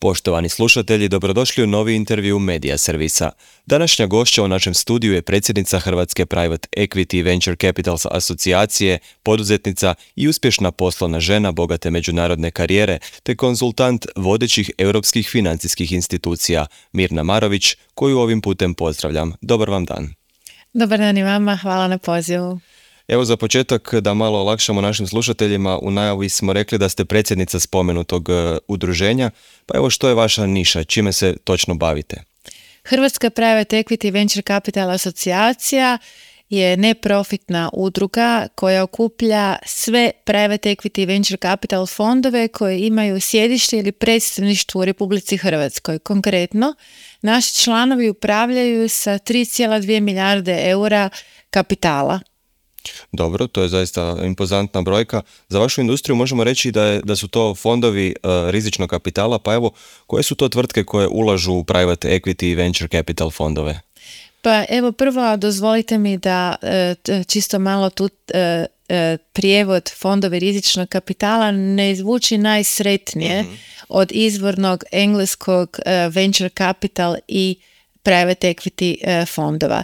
Poštovani slušatelji, dobrodošli u novi intervju Medija servisa. Današnja gošća u našem studiju je predsjednica Hrvatske Private Equity Venture Capitals asocijacije, poduzetnica i uspješna poslovna žena bogate međunarodne karijere, te konzultant vodećih europskih financijskih institucija, Mirna Marović, koju ovim putem pozdravljam. Dobar vam dan. Dobar dan i vama, hvala na pozivu. Evo za početak da malo olakšamo našim slušateljima, u najavi smo rekli da ste predsjednica spomenutog udruženja, pa evo što je vaša niša, čime se točno bavite? Hrvatska Private Equity Venture Capital asocijacija je neprofitna udruga koja okuplja sve private equity venture capital fondove koji imaju sjedište ili predstavništvo u Republici Hrvatskoj. Konkretno, naši članovi upravljaju sa 3,2 milijarde eura kapitala. Dobro, to je zaista impozantna brojka. Za vašu industriju možemo reći da su to fondovi rizičnog kapitala, pa evo, koje su to tvrtke koje ulažu u private equity i venture capital fondove? Pa evo prvo dozvolite mi da čisto malo tu prijevod fondovi rizičnog kapitala ne zvuči najsretnije od izvornog engleskog venture capital i private equity fondova.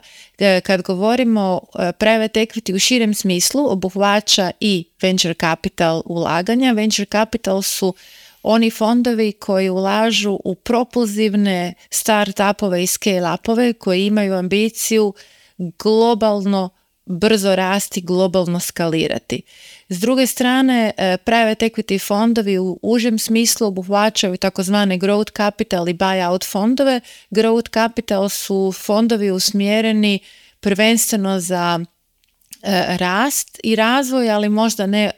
Kad govorimo private equity u širem smislu, obuhvaća i venture capital ulaganja. Venture capital su oni fondovi koji ulažu u propulzivne start-upove i scale-upove koji imaju ambiciju globalno brzo rasti, globalno skalirati. S druge strane, private equity fondovi u užem smislu obuhvaćaju takozvane growth capital i buyout fondove. Growth capital su fondovi usmjereni prvenstveno za rast i razvoj, ali možda ne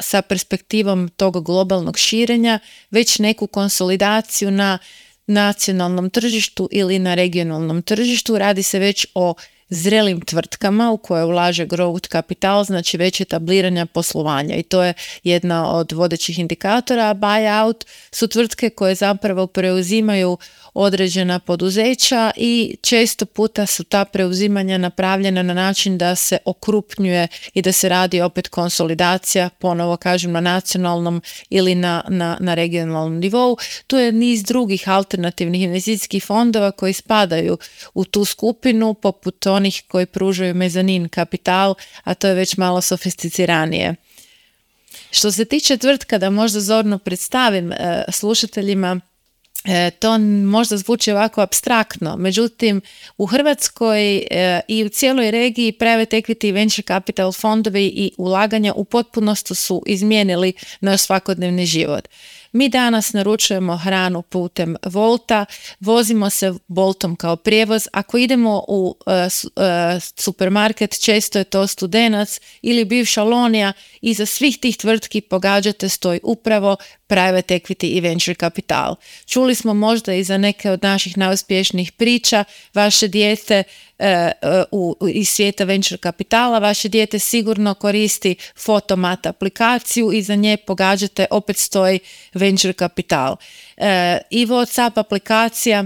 sa perspektivom tog globalnog širenja, već neku konsolidaciju na nacionalnom tržištu ili na regionalnom tržištu. Radi se već o zrelim tvrtkama u koje ulaže growth kapital, znači već etabliranja poslovanja i to je jedna od vodećih indikatora. Buyout su tvrtke koje zapravo preuzimaju određena poduzeća i često puta su ta preuzimanja napravljena na način da se okrupnjuje i da se radi opet konsolidacija, ponovo kažem na nacionalnom ili na regionalnom nivou. Tu je niz drugih alternativnih investicijskih fondova koji spadaju u tu skupinu, poput onih koji pružaju mezanin kapital, a to je već malo sofisticiranije. Što se tiče tvrtka, da možda zorno predstavim slušateljima, to možda zvuči ovako apstraktno, međutim u Hrvatskoj i u cijeloj regiji private equity i venture capital fondovi i ulaganja u potpunosti su izmijenili naš svakodnevni život. Mi danas naručujemo hranu putem Wolta, vozimo se Boltom kao prijevoz. Ako idemo u supermarket, često je to Studenac ili bivša Lonija, iza svih tih tvrtki pogađate stoji upravo private equity i venture capital. Čuli smo možda i za neke od naših najuspješnijih priča, vaše dijete iz svijeta venture kapitala, vaše dijete sigurno koristi Photomat aplikaciju i za nje pogađate opet stoji venture kapital. I WhatsApp aplikacija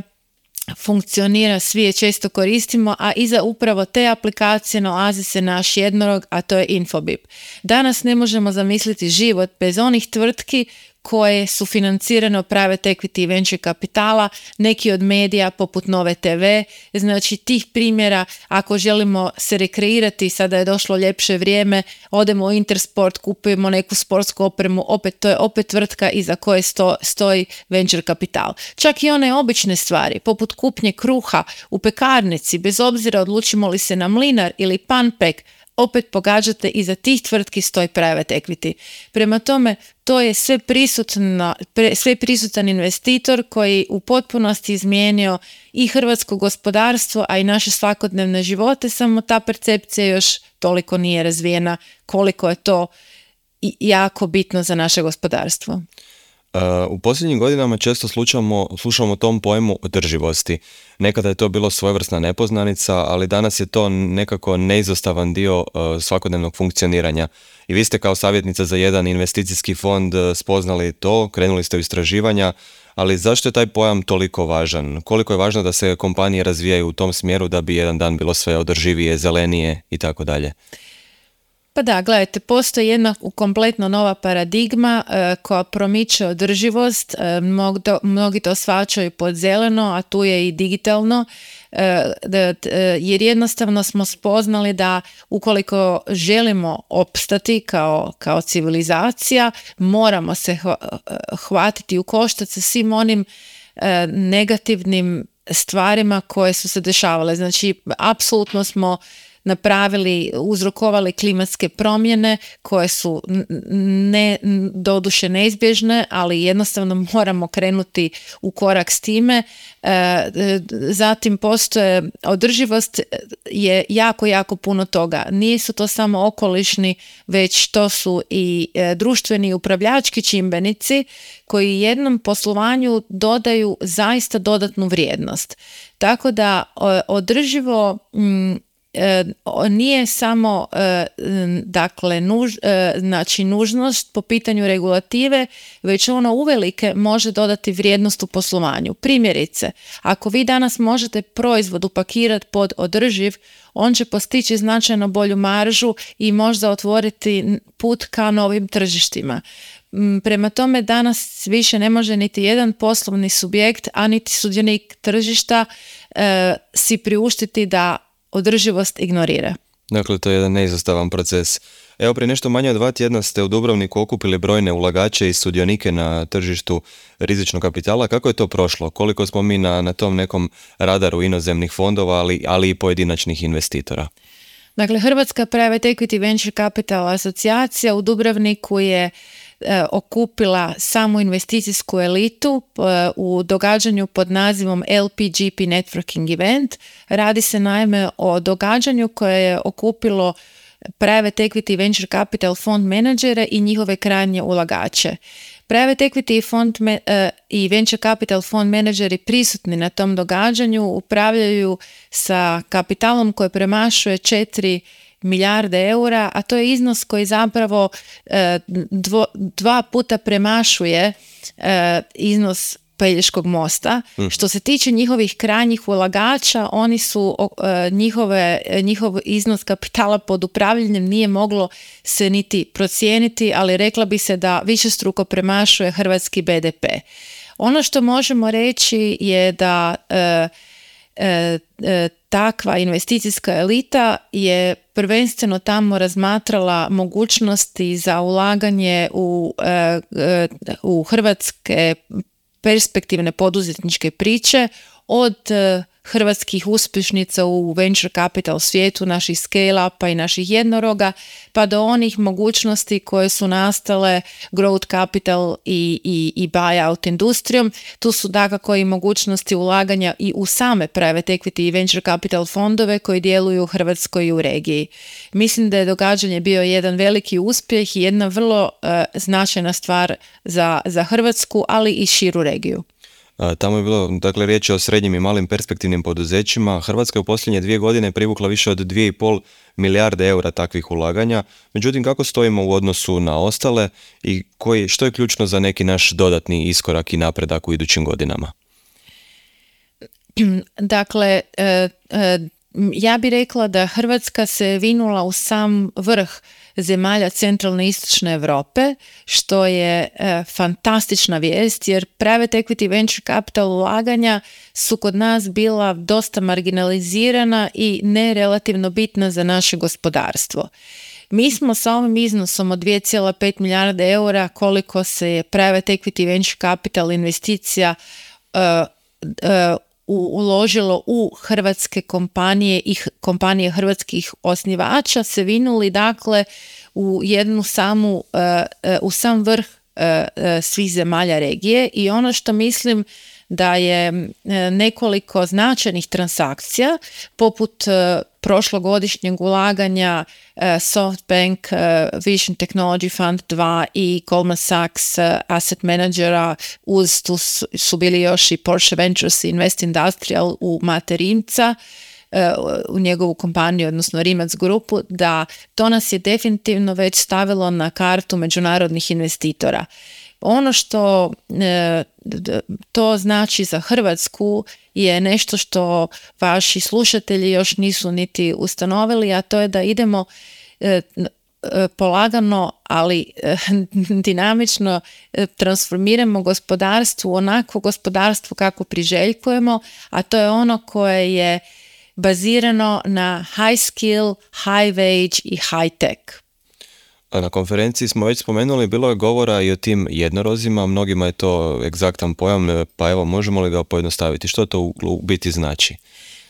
funkcionira, svi je često koristimo, a iza upravo te aplikacije nalazi se naš jednorog, a to je Infobip. Danas ne možemo zamisliti život bez onih tvrtki koje su financirane private equity i venture kapitala, neki od medija poput Nove TV. Znači tih primjera, ako želimo se rekreirati, sada je došlo ljepše vrijeme, odemo u Intersport, kupujemo neku sportsku opremu, to je opet tvrtka iza koje stoji venture kapital. Čak i one obične stvari, poput kupnje kruha u pekarnici, bez obzira odlučimo li se na mlinar ili panpek, opet pogađate iza tih tvrtki stoji private equity. Prema tome, to je sve prisutan investitor koji u potpunosti izmijenio i hrvatsko gospodarstvo, a i naše svakodnevne živote, samo ta percepcija još toliko nije razvijena koliko je to jako bitno za naše gospodarstvo. U posljednjim godinama često slušamo o tom pojmu održivosti. Nekada je to bilo svojevrsna nepoznanica, ali danas je to nekako neizostavan dio svakodnevnog funkcioniranja. I vi ste kao savjetnica za jedan investicijski fond spoznali to, krenuli ste u istraživanja, ali zašto je taj pojam toliko važan? Koliko je važno da se kompanije razvijaju u tom smjeru da bi jedan dan bilo sve održivije, zelenije i tako dalje? Pa da, gledajte, postoji jedna kompletno nova paradigma koja promiče održivost, mnogi to shvaćaju pod zeleno, a tu je i digitalno, jer jednostavno smo spoznali da ukoliko želimo opstati kao civilizacija, moramo se hvatiti u koštac sa svim onim negativnim stvarima koje su se dešavale. Znači, apsolutno smo uzrokovali klimatske promjene koje su doduše neizbježne, ali jednostavno moramo krenuti u korak s time. Zatim postoje, održivost je jako, jako puno toga. Nisu to samo okolišni, već to su i društveni i upravljački čimbenici koji jednom poslovanju dodaju zaista dodatnu vrijednost. Tako da održivo nije samo znači nužnost po pitanju regulative, već ono uvelike može dodati vrijednost u poslovanju. Primjerice, ako vi danas možete proizvod upakirati pod održiv, on će postići značajno bolju maržu i možda otvoriti put ka novim tržištima. Prema tome, danas više ne može niti jedan poslovni subjekt, a niti sudionik tržišta si priuštiti da održivost ignorira. Dakle, to je jedan neizostavan proces. Evo, prije nešto manje od 2 tjedna ste u Dubrovniku okupili brojne ulagače i sudionike na tržištu rizičnog kapitala. Kako je to prošlo? Koliko smo mi na tom nekom radaru inozemnih fondova, ali i pojedinačnih investitora? Dakle, Hrvatska Private Equity Venture Capital asocijacija u Dubrovniku je okupila samu investicijsku elitu u događanju pod nazivom LPGP Networking Event. Radi se naime o događanju koje je okupilo Private Equity Venture Capital fond menadžere i njihove krajnje ulagače. Private Equity i Venture Capital fond menadžeri prisutni na tom događanju upravljaju sa kapitalom koji premašuje 4 milijarde eura, a to je iznos koji zapravo 2 puta premašuje iznos Pelješkog mosta. Što se tiče njihovih krajnjih ulagača, oni su njihov iznos kapitala pod upravljanjem nije moglo se niti procijeniti, ali rekla bi se da višestruko premašuje hrvatski BDP. Ono što možemo reći je da takva investicijska elita je prvenstveno tamo razmatrala mogućnosti za ulaganje u hrvatske perspektivne poduzetničke priče, od hrvatskih uspješnica u venture capital svijetu, naših scale-upa i naših jednoroga, pa do onih mogućnosti koje su nastale growth capital i buyout industrijom. Tu su dakako i mogućnosti ulaganja i u same private equity i venture capital fondove koji djeluju u Hrvatskoj i u regiji. Mislim da je događanje bio jedan veliki uspjeh i jedna vrlo značajna stvar za Hrvatsku, ali i širu regiju. Tamo je bilo, dakle, riječ o srednjim i malim perspektivnim poduzećima. Hrvatska je u posljednje 2 godine privukla više od 2,5 milijarde eura takvih ulaganja. Međutim, kako stojimo u odnosu na ostale i što je ključno za neki naš dodatni iskorak i napredak u idućim godinama? Dakle, ja bih rekla da Hrvatska se vinula u sam vrh zemalja centralne i istočne Europe, što je fantastična vijest, jer private equity venture capital ulaganja su kod nas bila dosta marginalizirana i ne relativno bitna za naše gospodarstvo. Mi smo sa ovim iznosom od 2,5 milijarde eura, koliko se je private equity venture capital investicija uložilo u hrvatske kompanije i kompanije hrvatskih osnivača, se vinuli dakle u u sam vrh svih zemalja regije. I ono što mislim da je nekoliko značajnih transakcija poput prošlogodišnjeg ulaganja SoftBank Vision Technology Fund 2 i Goldman Sachs Asset Managera, uz tu su bili još i Porsche Ventures Invest Industrial u Mate Rimca, u njegovu kompaniju, odnosno Rimac grupu, da to nas je definitivno već stavilo na kartu međunarodnih investitora. Ono što to znači za Hrvatsku je nešto što vaši slušatelji još nisu niti ustanovili, a to je da idemo polagano, ali dinamično transformiramo gospodarstvo u onako gospodarstvo kako priželjkujemo, a to je ono koje je bazirano na high skill, high wage i high tech. A na konferenciji smo već spomenuli, bilo je govora i o tim jednorozima, mnogima je to egzaktan pojam, pa evo, možemo li ga pojednostaviti? Što to u biti znači?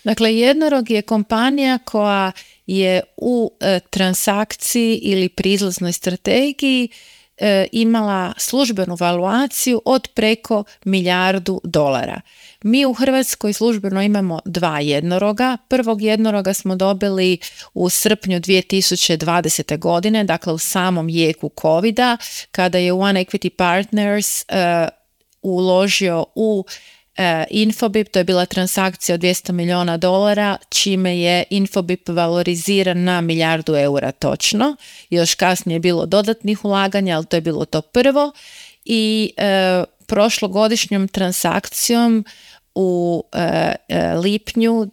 Dakle, jednorog je kompanija koja je u transakciji ili pri izlaznoj strategiji imala službenu valuaciju od preko $1 milijardu. Mi u Hrvatskoj službeno imamo 2 jednoroga. Prvog jednoroga smo dobili u srpnju 2020. godine, dakle u samom jeku covida, kada je One Equity Partners uložio u Infobip. To je bila transakcija od $200 milijuna, čime je Infobip valoriziran na €1 milijardu točno. Još kasnije je bilo dodatnih ulaganja, ali to je bilo to prvo. I prošlogodišnjom transakcijom u lipnju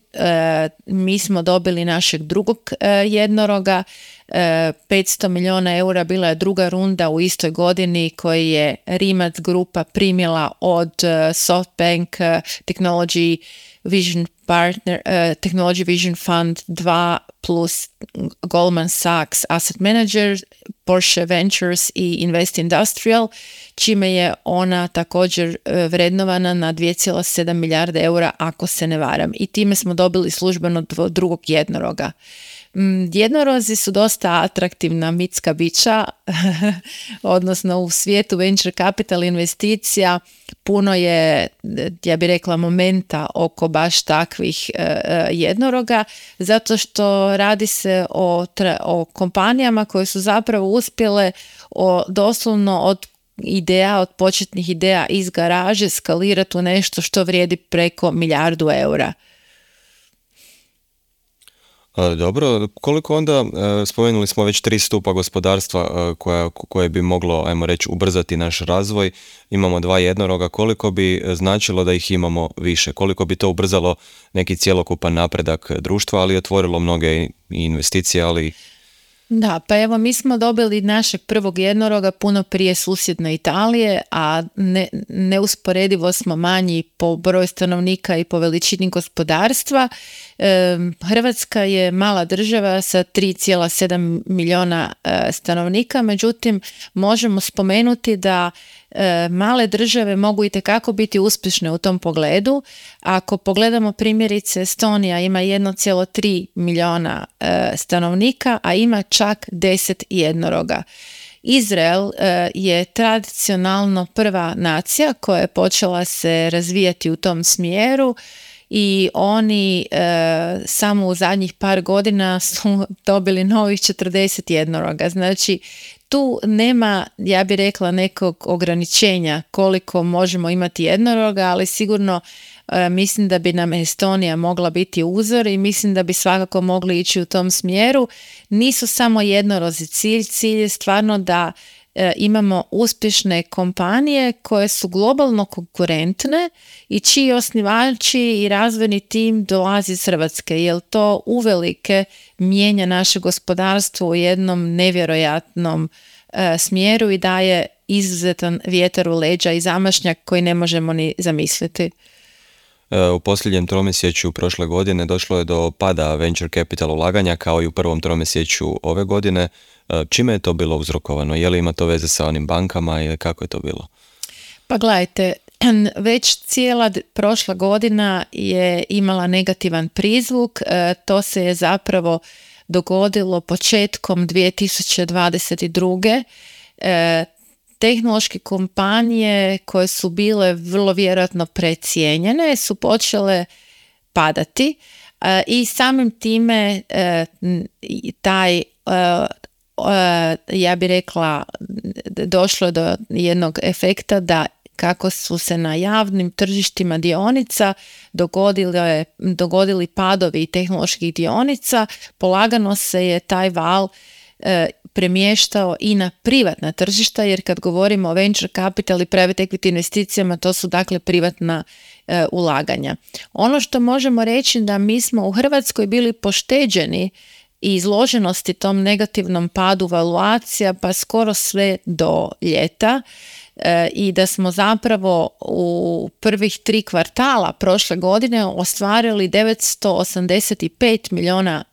mi smo dobili našeg drugog jednoroga, €500 milijuna, bila je druga runda u istoj godini koji je Rimac grupa primila od SoftBank Technology Vision Fund 2 plus Goldman Sachs Asset Manager, Porsche Ventures i Invest Industrial, čime je ona također vrednovana na €2,7 milijarde ako se ne varam. I time smo dobili službeno drugog jednoroga. Jednorozi su dosta atraktivna mitska bića, odnosno u svijetu venture capital investicija puno je, ja bih rekla, momenta oko baš takvih jednoroga, zato što radi se o kompanijama koje su zapravo uspjele doslovno od početnih ideja iz garaže skalirati u nešto što vrijedi preko €1 milijardu. Dobro, koliko onda, spomenuli smo već 3 stupa gospodarstva koje bi moglo, ajmo reći, ubrzati naš razvoj, imamo 2 jednoroga, koliko bi značilo da ih imamo više, koliko bi to ubrzalo neki cjelokupan napredak društva, ali otvorilo mnoge investicije, ali... Da, pa evo, mi smo dobili našeg prvog jednoroga puno prije susjedne Italije, a neusporedivo smo manji po broju stanovnika i po veličini gospodarstva. Hrvatska je mala država sa 3,7 milijuna stanovnika, međutim možemo spomenuti da male države mogu itekako biti uspješne u tom pogledu. Ako pogledamo primjerice, Estonija ima 1,3 milijuna stanovnika, a ima čak 10 jednoroga. Izrael je tradicionalno prva nacija koja je počela se razvijati u tom smjeru i oni samo u zadnjih par godina su dobili novih 40 jednoroga. Znači, tu nema, ja bih rekla, nekog ograničenja koliko možemo imati jednoroga, ali sigurno mislim da bi nam Estonija mogla biti uzor i mislim da bi svakako mogli ići u tom smjeru. Nisu samo jednorozi cilj je stvarno da imamo uspješne kompanije koje su globalno konkurentne i čiji osnivači i razvojni tim dolazi iz Hrvatske, jer to uvelike mijenja naše gospodarstvo u jednom nevjerojatnom smjeru i daje izuzetan vjetar u leđa i zamašnjak koji ne možemo ni zamisliti. U posljednjem tromjesečju prošle godine došlo je do pada venture capital ulaganja kao i u prvom tromjesečju ove godine. Čime je to bilo uzrokovano? Je li ima to veze sa onim bankama ili kako je to bilo? Pa gledajte, već cijela prošla godina je imala negativan prizvuk. To se je zapravo dogodilo početkom 2022. Tehnološke kompanije koje su bile vrlo vjerojatno precijenjene su počele padati i samim time taj, ja bih rekla, došlo do jednog efekta da kako su se na javnim tržištima dionica dogodili padovi tehnoloških dionica, polagano se je taj val premještao i na privatna tržišta, jer kad govorimo o venture capital i private equity investicijama, to su dakle privatna ulaganja. Ono što možemo reći da mi smo u Hrvatskoj bili pošteđeni i izloženosti tom negativnom padu valuacija pa skoro sve do ljeta i da smo zapravo u prvih 3 kvartala prošle godine ostvarili $985 milijuna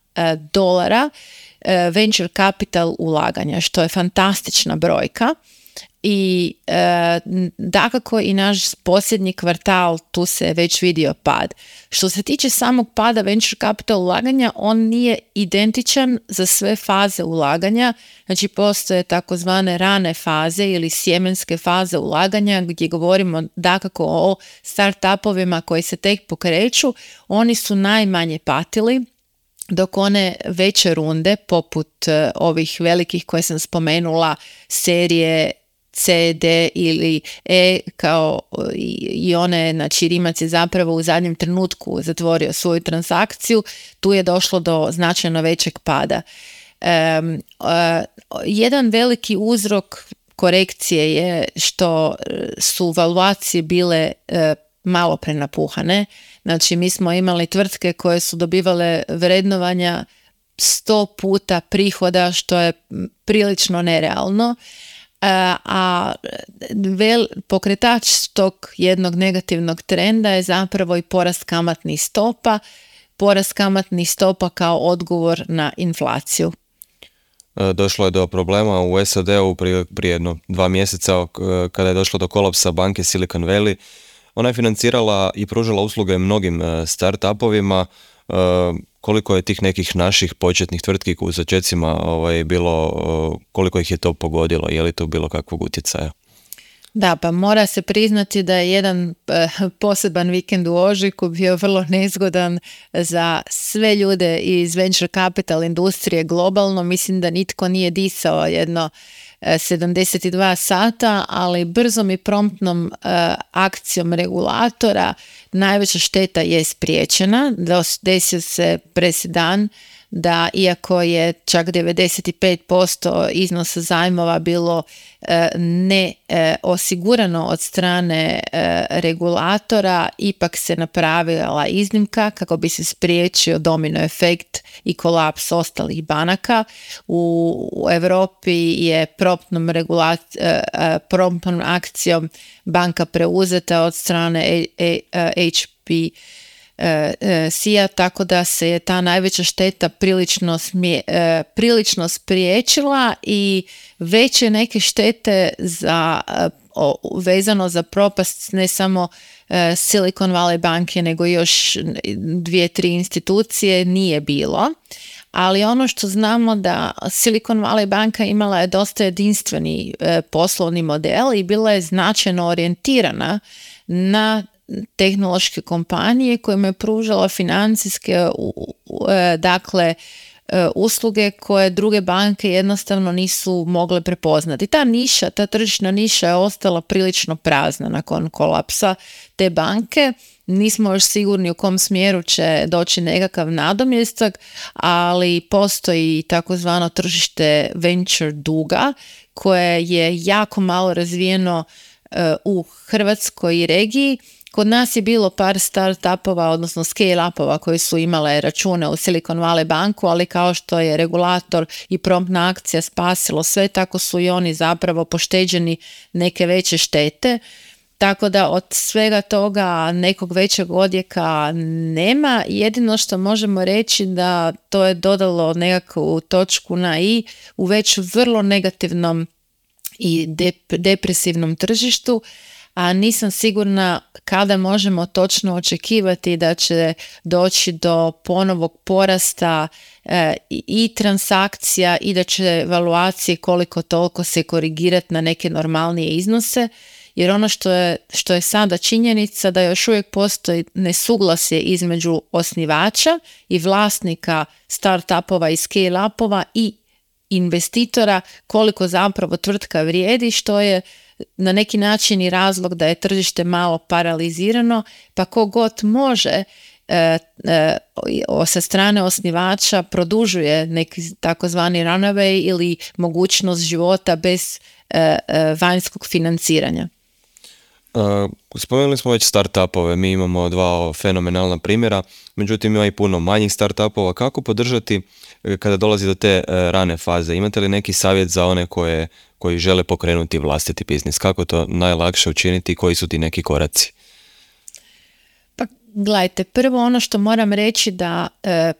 venture capital ulaganja, što je fantastična brojka. I dakako i naš posljednji kvartal tu se već vidio pad. Što se tiče samog pada venture capital ulaganja, on nije identičan za sve faze ulaganja, znači postoje takozvane rane faze ili sjemenske faze ulaganja gdje govorimo dakako o startupovima koji se tek pokreću, oni su najmanje patili, dok one veće runde poput ovih velikih koje sam spomenula, serije C, D ili E kao i one, znači Rimac je zapravo u zadnjem trenutku zatvorio svoju transakciju, tu je došlo do značajno većeg pada. Jedan veliki uzrok korekcije je što su valuacije bile malo prenapuhane, znači mi smo imali tvrtke koje su dobivale vrednovanja 100 puta prihoda, što je prilično nerealno. A pokretač tog jednog negativnog trenda je zapravo i porast kamatnih stopa. Porast kamatnih stopa kao odgovor na inflaciju. Došlo je do problema u SAD-u prije jedno 2 mjeseca kada je došlo do kolapsa banke Silicon Valley. Ona je financirala i pružala usluge mnogim startupovima. Koliko je tih nekih naših početnih tvrtki u začecima bilo, koliko ih je to pogodilo, je li to bilo kakvog utjecaja? Da, pa mora se priznati da je jedan poseban vikend u ožujku bio vrlo nezgodan za sve ljude iz venture capital industrije globalno. Mislim da nitko nije disao jedno 72 sata, ali brzom i promptnom akcijom regulatora najveća šteta je spriječena. Desio se presedan da iako je čak 95% iznosa zajmova bilo ne osigurano od strane regulatora, ipak se napravila iznimka kako bi se spriječio domino efekt i kolaps ostalih banaka. U Europi je promptnom akcijom banka preuzeta od strane HSBC-a, tako da se je ta najveća šteta prilično spriječila i veće neke štete vezano za propast ne samo Silicon Valley banke nego još 2-3 institucije nije bilo. Ali ono što znamo da Silicon Valley banka imala je dosta jedinstveni poslovni model i bila je značajno orijentirana na tehnološke kompanije kojima je pružala financijske usluge koje druge banke jednostavno nisu mogle prepoznati. Ta tržišna niša je ostala prilično prazna nakon kolapsa te banke. Nismo još sigurni u kom smjeru će doći nekakav nadomjestak, ali postoji takozvano tržište venture duga koje je jako malo razvijeno u Hrvatskoj i regiji. Kod nas je bilo par startupova, odnosno scale-upova koji su imale račune u Silicon Valley banku, ali kao što je regulator i promptna akcija spasilo sve, tako su i oni zapravo pošteđeni neke veće štete. Tako da od svega toga nekog većeg odjeka nema. Jedino što možemo reći da to je dodalo nekakvu točku na i u već vrlo negativnom i depresivnom tržištu, a nisam sigurna kada možemo točno očekivati da će doći do ponovog porasta i transakcija i da će valuacije koliko toliko se korigirati na neke normalnije iznose, jer ono što je sada činjenica da još uvijek postoji nesuglasje između osnivača i vlasnika startupova i scale-upova i investitora koliko zapravo tvrtka vrijedi, što je na neki način i razlog da je tržište malo paralizirano, pa kogod može sa strane osnivača produžuje neki takozvani runaway ili mogućnost života bez vanjskog financiranja. Spomenuli smo već startupove, mi imamo dva fenomenalna primjera, međutim ima i puno manjih startupova. Kako podržati kada dolazi do te rane faze? Imate li neki savjet za one koji žele pokrenuti vlastiti biznis? Kako to najlakše učiniti i koji su ti neki koraci? Pa gledajte, prvo ono što moram reći da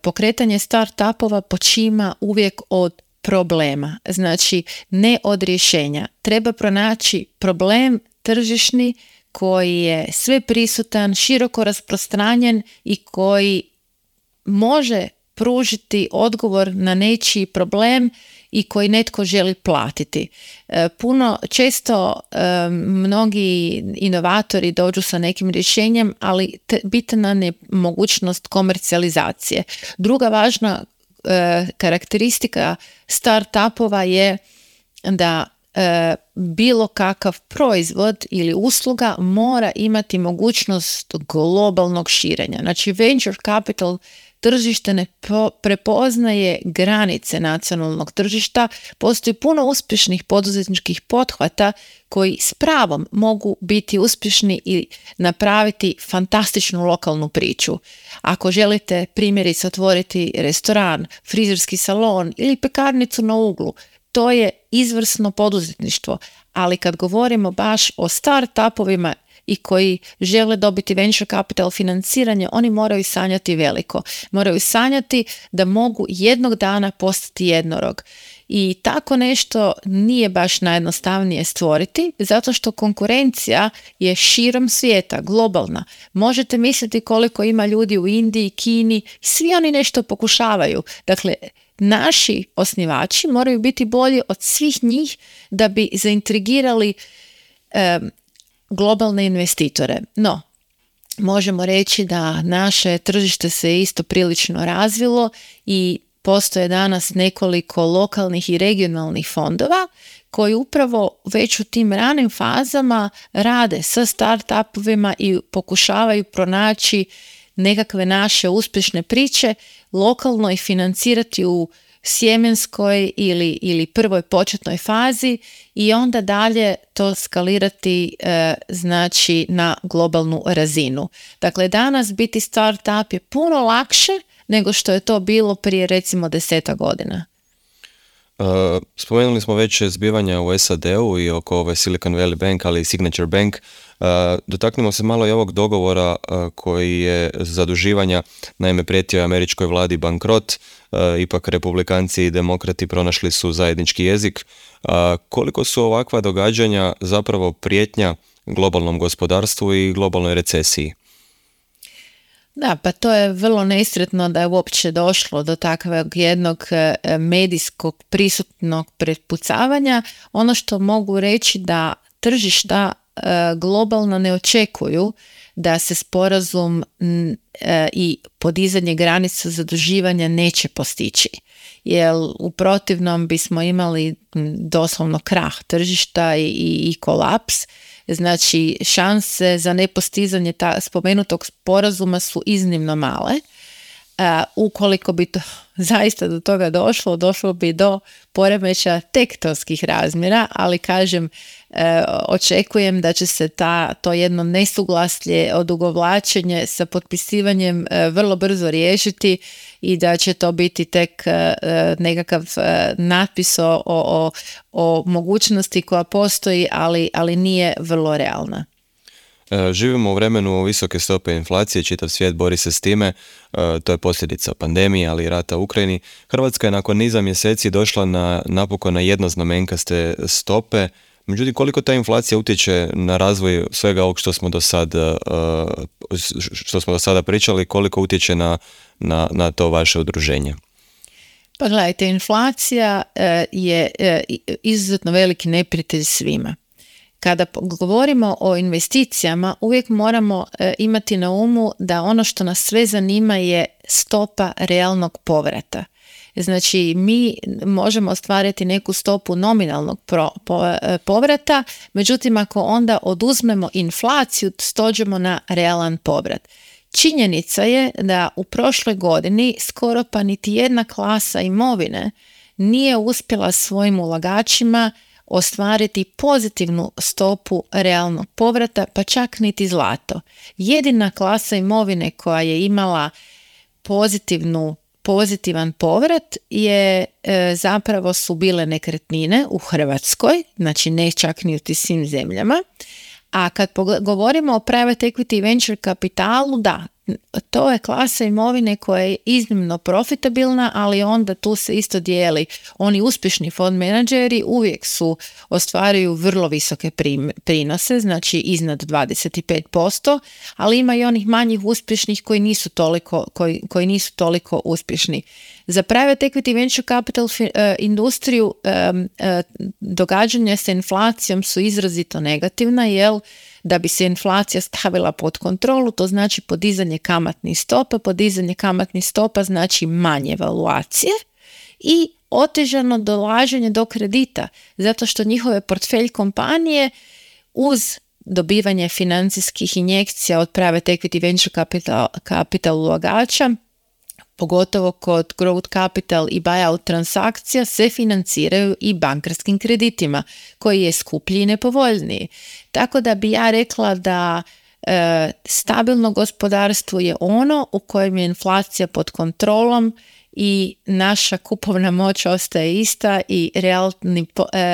pokretanje startupova počima uvijek od problema, znači ne od rješenja. Treba pronaći problem tržišni koji je sve prisutan, široko rasprostranjen i koji može pružiti odgovor na nečiji problem i koji netko želi platiti. Često mnogi inovatori dođu sa nekim rješenjem, ali bitna je mogućnost komercijalizacije. Druga važna karakteristika startupova je da bilo kakav proizvod ili usluga mora imati mogućnost globalnog širenja. Znači venture capital tržište ne prepoznaje granice nacionalnog tržišta, postoji puno uspješnih poduzetničkih pothvata koji s pravom mogu biti uspješni i napraviti fantastičnu lokalnu priču. Ako želite primjerice otvoriti restoran, frizerski salon ili pekarnicu na uglu, to je izvrsno poduzetništvo, ali kad govorimo baš o startupovima i koji žele dobiti venture capital financiranje, oni moraju sanjati veliko. Moraju sanjati da mogu jednog dana postati jednorog. I tako nešto nije baš najjednostavnije stvoriti, zato što konkurencija je širom svijeta, globalna. Možete misliti koliko ima ljudi u Indiji, Kini, svi oni nešto pokušavaju. Dakle, naši osnivači moraju biti bolji od svih njih da bi zaintrigirali globalne investitore. No, možemo reći da naše tržište se isto prilično razvilo i postoje danas nekoliko lokalnih i regionalnih fondova koji upravo već u tim ranim fazama rade sa startupovima i pokušavaju pronaći nekakve naše uspješne priče, lokalno ih financirati u sjemenskoj ili prvoj početnoj fazi i onda dalje to skalirati znači na globalnu razinu. Dakle, danas biti startup je puno lakše nego što je to bilo prije recimo 10 godina. Spomenuli smo već zbivanja u SAD-u i oko ove Silicon Valley Bank, ali i Signature Bank. Dotaknimo se malo i ovog dogovora koji je zaduživanja, naime prijetio je američkoj vladi bankrot, ipak republikanci i demokrati pronašli su zajednički jezik. Koliko su ovakva događanja zapravo prijetnja globalnom gospodarstvu i globalnoj recesiji? Da, pa to je vrlo nesretno da je uopće došlo do takvog jednog medijskog prisutnog prepucavanja. Ono što mogu reći da tržišta globalno ne očekuju da se sporazum i podizanje granica zaduživanja neće postići. Jer u protivnom bismo imali doslovno krah tržišta i kolaps. Znači, šanse za nepostizanje spomenutog sporazuma su iznimno male. Ukoliko bi to zaista do toga došlo bi do poremećaja tektonskih razmjera, ali kažem, očekujem da će se to jedno nesuglasje, odugovlačenje sa potpisivanjem vrlo brzo riješiti i da će to biti tek nekakav natpis o mogućnosti koja postoji, ali nije vrlo realna. Živimo u vremenu visoke stope inflacije, čitav svijet bori se s time, to je posljedica pandemije, ali i rata u Ukrajini. Hrvatska je nakon niza mjeseci došla napokon na jednoznamenkaste stope. Međutim, koliko ta inflacija utječe na razvoj svega ovog što smo do sada pričali, koliko utječe na to vaše udruženje? Pa gledajte, inflacija je izuzetno veliki neprijatelj svima. Kada govorimo o investicijama, uvijek moramo imati na umu da ono što nas sve zanima je stopa realnog povrata. Znači, mi možemo ostvariti neku stopu nominalnog povrata, međutim, ako onda oduzmemo inflaciju, dođemo na realan povrat. Činjenica je da u prošloj godini skoro pa niti jedna klasa imovine nije uspjela svojim ulagačima ostvariti pozitivnu stopu realnog povrata, pa čak niti zlato. Jedina klasa imovine koja je imala pozitivan povrat je zapravo su bile nekretnine u Hrvatskoj, znači ne čak ni u tim svim zemljama. A kad govorimo o private equity i venture kapitalu, da, to je klasa imovine koja je iznimno profitabilna, ali onda tu se isto dijeli. Oni uspješni fond menadžeri uvijek ostvaruju vrlo visoke prinose, znači iznad 25%, ali ima i onih manjih uspješnih koji nisu toliko uspješni. Za private equity i venture capital industriju događanja sa inflacijom su izrazito negativna, jer da bi se inflacija stavila pod kontrolu, to znači podizanje kamatnih stopa. Podizanje kamatnih stopa znači manje valuacije i otežano dolaženje do kredita, zato što njihove portfelj kompanije uz dobivanje financijskih injekcija od private equity venture capital ulagača, pogotovo kod growth capital i buyout transakcija, se financiraju i bankarskim kreditima, koji je skuplji i nepovoljniji. Tako da bi ja rekla da stabilno gospodarstvo je ono u kojem je inflacija pod kontrolom i naša kupovna moć ostaje ista i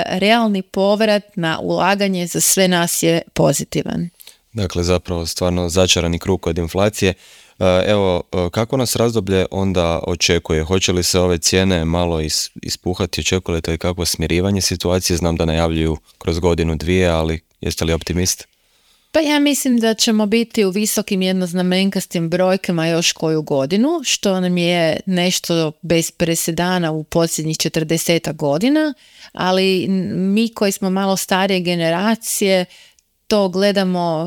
realni povrat na ulaganje za sve nas je pozitivan. Dakle, zapravo stvarno začarani krug od inflacije. Evo, kako nas razdoblje onda očekuje? Hoće li se ove cijene malo ispuhati? Očekujete li kakvo smirivanje situacije? Znam da najavljuju kroz godinu, dvije, ali jeste li optimist? Pa ja mislim da ćemo biti u visokim jednoznamenkastim brojkama još koju godinu, što nam je nešto bez presedana u posljednjih 40 godina, ali mi koji smo malo starije generacije to gledamo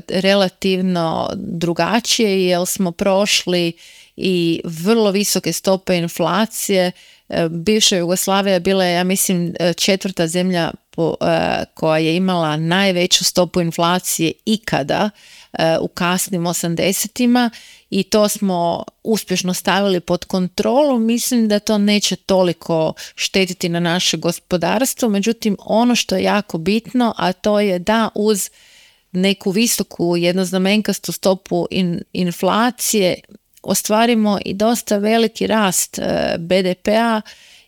relativno drugačije, jer smo prošli i vrlo visoke stope inflacije. Bivša Jugoslavija bila je, ja mislim, 4. zemlja koja je imala najveću stopu inflacije ikada u kasnim 80-ima i to smo uspješno stavili pod kontrolu. Mislim da to neće toliko štetiti na naše gospodarstvo, međutim ono što je jako bitno, a to je da uz neku visoku jednoznamenkastu stopu inflacije ostvarimo i dosta veliki rast BDP-a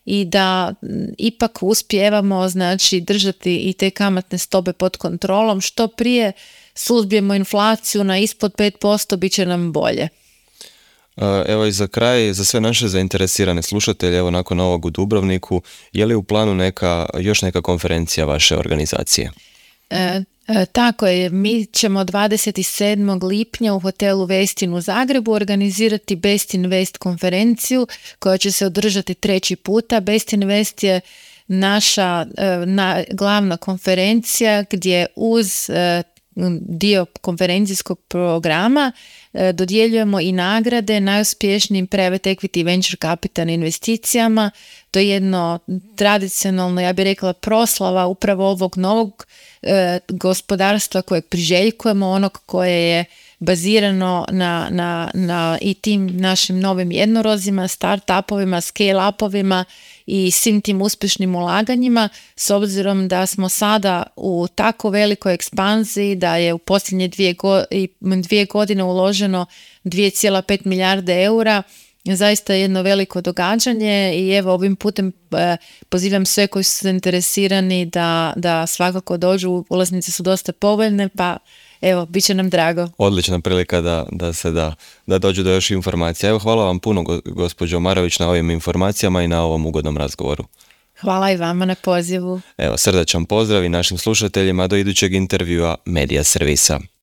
i da ipak uspijevamo, znači, držati i te kamatne stope pod kontrolom. Što prije suzbijemo inflaciju na ispod 5%, bit će nam bolje. Evo i za kraj, za sve naše zainteresirane slušatelje, evo nakon ovog u Dubrovniku, je li u planu još neka konferencija vaše organizacije? Tako je, mi ćemo 27. lipnja u hotelu Westin u Zagrebu organizirati Best Invest konferenciju koja će se održati 3. puta. Best Invest je naša glavna konferencija gdje uz dio konferencijskog programa dodjeljujemo i nagrade najuspješnijim private equity i venture capital investicijama. To je jedno tradicionalno, ja bih rekla, proslava upravo ovog novog gospodarstva kojeg priželjkujemo, onog koje je bazirano na i tim našim novim jednorozima, start-upovima, scale-upovima i svim tim uspješnim ulaganjima, s obzirom da smo sada u tako velikoj ekspanziji da je u posljednje 2 godine uloženo 2,5 milijarde eura. Zaista je jedno veliko događanje i evo ovim putem pozivam sve koji su zainteresirani da svakako dođu, ulaznice su dosta povoljne, pa evo, bit će nam drago. Odlična prilika da dođu do još informacija. Evo, hvala vam puno, gospođo Marović, na ovim informacijama i na ovom ugodnom razgovoru. Hvala i vama na pozivu. Evo, srdačan pozdrav i našim slušateljima do idućeg intervjua Medija servisa.